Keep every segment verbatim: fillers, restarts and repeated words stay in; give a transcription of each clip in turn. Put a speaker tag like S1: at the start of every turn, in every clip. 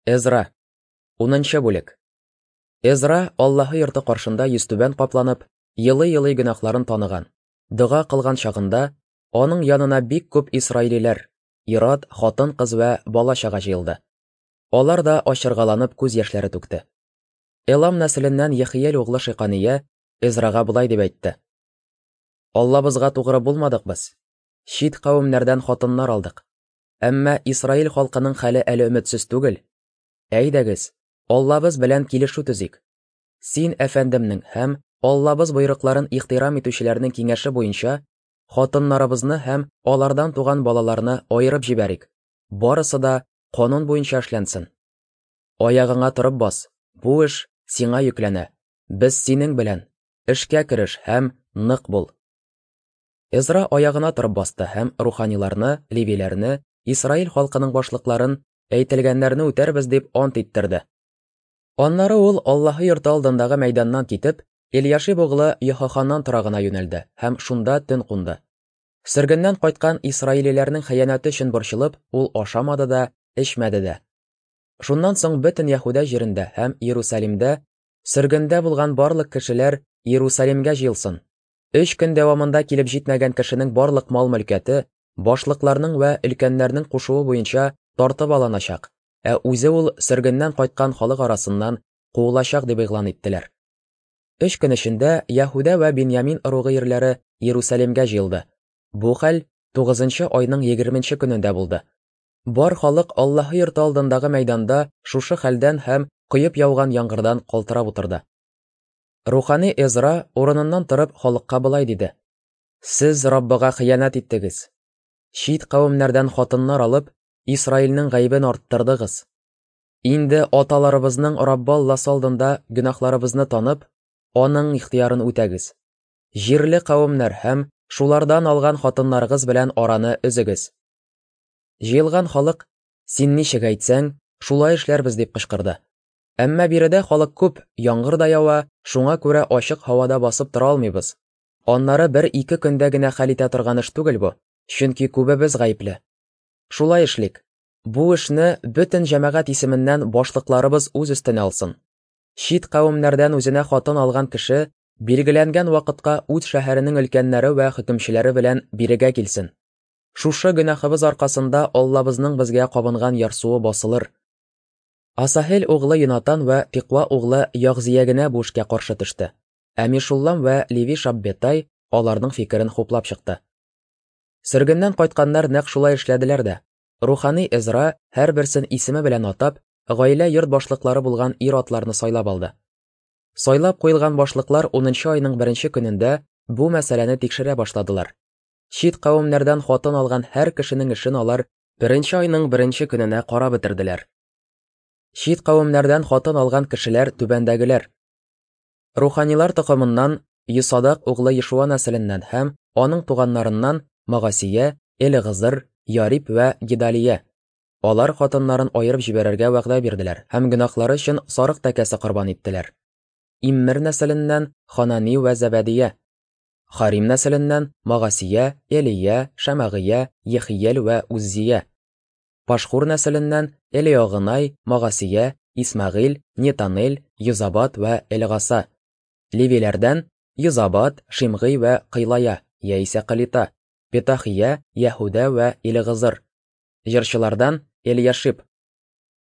S1: Эзра. Унынчы бүлек. Эзра Аллаһы йорты каршында йөзтүбән капланып, елый-елый гөнаһларын таныган, дога кылган чагында, аның янына бик күп исраилиләр, ир-ат, хатын-кыз вә бала-чага җыелды. Алар да ачыргаланып күз яшьләре түкте. Элам нәселеннән Ехиел углы Шикания Эзрага болай дип әйтте: Аллабызга тугры булмадык без. Чит кавемнәрдән хатыннар алдык. Әмма Исраил халкының хәле әле өметсез түгел. Әйдәгез, Аллабыз белән килешү төзик. Син әфәндемнең һәм Аллабыз боерыкларын ихтирам итүчеләрнең киңәше буенча хатыннарыбызны һәм алардан туган балаларны аерып җибәрик. Барысы да канун буенча эшләнсен. Аягыңа торып бас. Бу эш сиңа йөкләнә. Без синең белән. Эшкә кереш һәм нык бул. Эзра аягына торып басты һәм руханиларны, левиләрне, Исраил халкының башлыкларын әйтелгәннәрне үтәрбез дип ант иттерде. Аннары ул Аллаһы йорты алдындагы мәйданнан китеп, Эльяшиб углы Йохаханнан торагына юнәлде һәм шунда төн кунды. Сөргеннән кайткан исраилиләрнең хыянәте өчен борчылып, ул ашамады да, эчмәде дә. Шуннан соң бөтен Яһүдә җирендә һәм Иерусалимдә сөргендә булган барлык кешеләр Иерусалимгә җыелсын. Өч көн дәвамында килеп җитмәгән кешенең барлык мал-мөлкәте башлыкларның вә өлкәннәрнең кушуы буенча тартып алыначак, ә үзе ул сөргеннән кайткан халык арасыннан куылачак дип игълан иттеләр. Өч көн эчендә Яһүдә вә Биньямин ыругы ирләре Иерусалимгә җыелды. Бу хәл тугызынчы айның егерменче көнендә булды. Бар халык Аллаһы йорты алдындагы мәйданда шушы хәлдән һәм коеп яуган яңгырдан калтырап утырды. Рухани Эзра урыныннан торып халыкка болай диде: Сез Раббыга хыянәт иттегез. Чит кавемнәрдән хатыннар алып, Исраилнең гаебен арттырдыгыз. Инде аталарыбызның Раббы Алласы алдында гөнаһларыбызны танып, аның ихтыярын үтәгез. Җирле кавемнәр һәм шулардан алган хатыннарыгыз белән араны өзегез. Җыелган халык: "Син ничек әйтсәң, шулай эшләрбез" дип кычкырды. Әмма биредә халык күп, яңгыр да ява, шуңа күрә ачык һавада басып тора алмыйбыз. Аннары бер-ике көндә генә хәл итә торган эш түгел бу, чөнки күбебез гаепле. Шулай эшлик. Бу эшне бөтен җәмәгать исеменнән башлыкларыбыз үз өстенә алсын. Чит кавемнәрдән үзенә хатын алган кеше билгеләнгән вакытка үз шәһәренең өлкәннәре вә хөкемчеләре белән бирегә килсен. Шушы гөнаһыбыз аркасында Аллабызның безгә кабынган ярсуы басылыр. Асаһел углы Йонатан вә Тиква углы Ягзия генә бу эшкә каршы төште. Ә Мишуллам вә Леви Шаббетай аларның фикерен хуплап чыкты. Сөргеннән кайтканнар нәкъ шулай эшләделәр дә. Рухани Эзра һәрберсен исеме белән атап, гаилә йорт башлыклары булган ир-атларны сайлап алды. Сайлап куелган башлыклар унынчы айның беренче көнендә бу мәсьәләне тикшерә башладылар. Чит кавемнәрдән хатын алган һәр кешенең эшен алар беренче айның беренче көненә карап бетерделәр. Чит кавемнәрдән хатын алган кешеләр түбәндәгеләр: Руханилар токымыннан Йосадак углы Йешуа нәселеннән һәм аның туганнарыннан Магасия, Элегызыр, Ярип вә Гидалия. Алар хатыннарын аерып җибәрергә вәгъдә бирделәр һәм гөнаһлары өчен сарык тәкәсе корбан иттеләр. Иммер нәселеннән Ханани вә Зәбәдия. Харим нәселеннән Магасия, Элия, Шәмәгыя, Ехиел вә Уззия. Пашхур нәселеннән Элеогынай, Магасия, Исмәгыйль, Нетанел, Йозабат вә Элгаса. Левиләрдән Йозабат, Шимгый вә Кыйлая, яисә Калита, Петахия, Яһүдә вә Элегызыр. Җырчылардан Эльяшиб.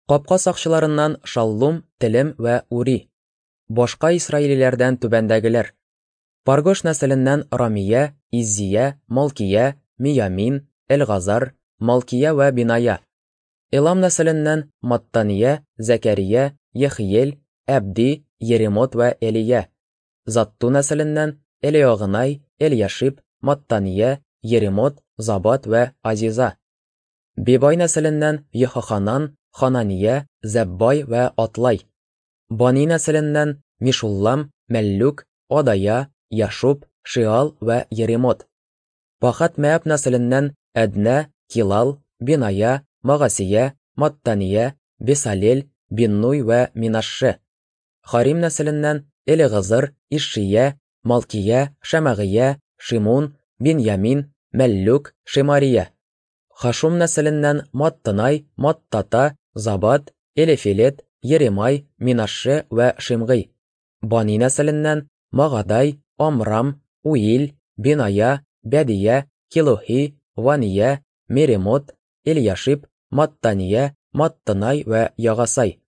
S1: Капка сакчыларыннан Шаллум, Телем вә Ури. Башка исраилиләрдән түбәндәгеләр: Паргош нәселеннән Рамия, Иззия, Малкия, Миямин, Элгазар, Малкия вә Биная. Элам нәселеннән Маттания, Зәкәрия, Ехиел, Әбди, Еремот вә Элия. Затту нәселеннән Элеогынай, Эльяшиб, Маттания, Еремот, Забат вә Азиза. Бибай нәселеннән Йохаханан, Ханания, Зәббай вә Атлай. Бани нәселеннән Мишуллам, Мәллүк, Адая, Яшуб, Шиал вә Еремот. Пахат Мәаб нәселеннән Әднә, Килал, Биная, Магасия, Маттания, Бесалел, Биннуй вә Минашше. Харим нәселеннән Элегызыр, Ишшия, Малкия, Шәмәгыя, Шимун, Биньямин, Мәллүк, Шемария. Хашум нәселеннән Маттынай, Маттата, Забат, Элефелет, Еремай, Минаше вә Шимгый. Бани нәселеннән Магадай, Амрам, Уил, Беная, Бәдия, Килухи, Вания, Меремот, Эльяшиб, Маттания, Маттынай вә Ягасай.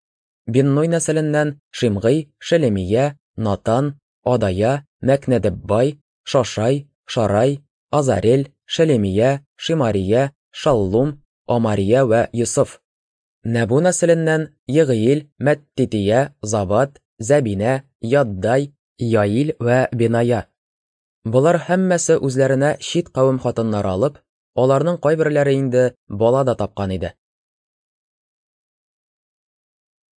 S1: Биннуй нәселеннән Шимгый, Шелемия, Натан, Адая, Мәкнәдеббай, Шашай, Шарай, Азарел, Шелемия, Шимария, Шаллум, Амария вә Йосыф. Нәбу нәселеннән Егыил, Мәттития, Забат, Зәбинә, Яддай, Яил вә Беная. Болар һәммәсе үзләренә чит кавем хатыннары алып, аларның кайберләре инде бала да тапкан иде.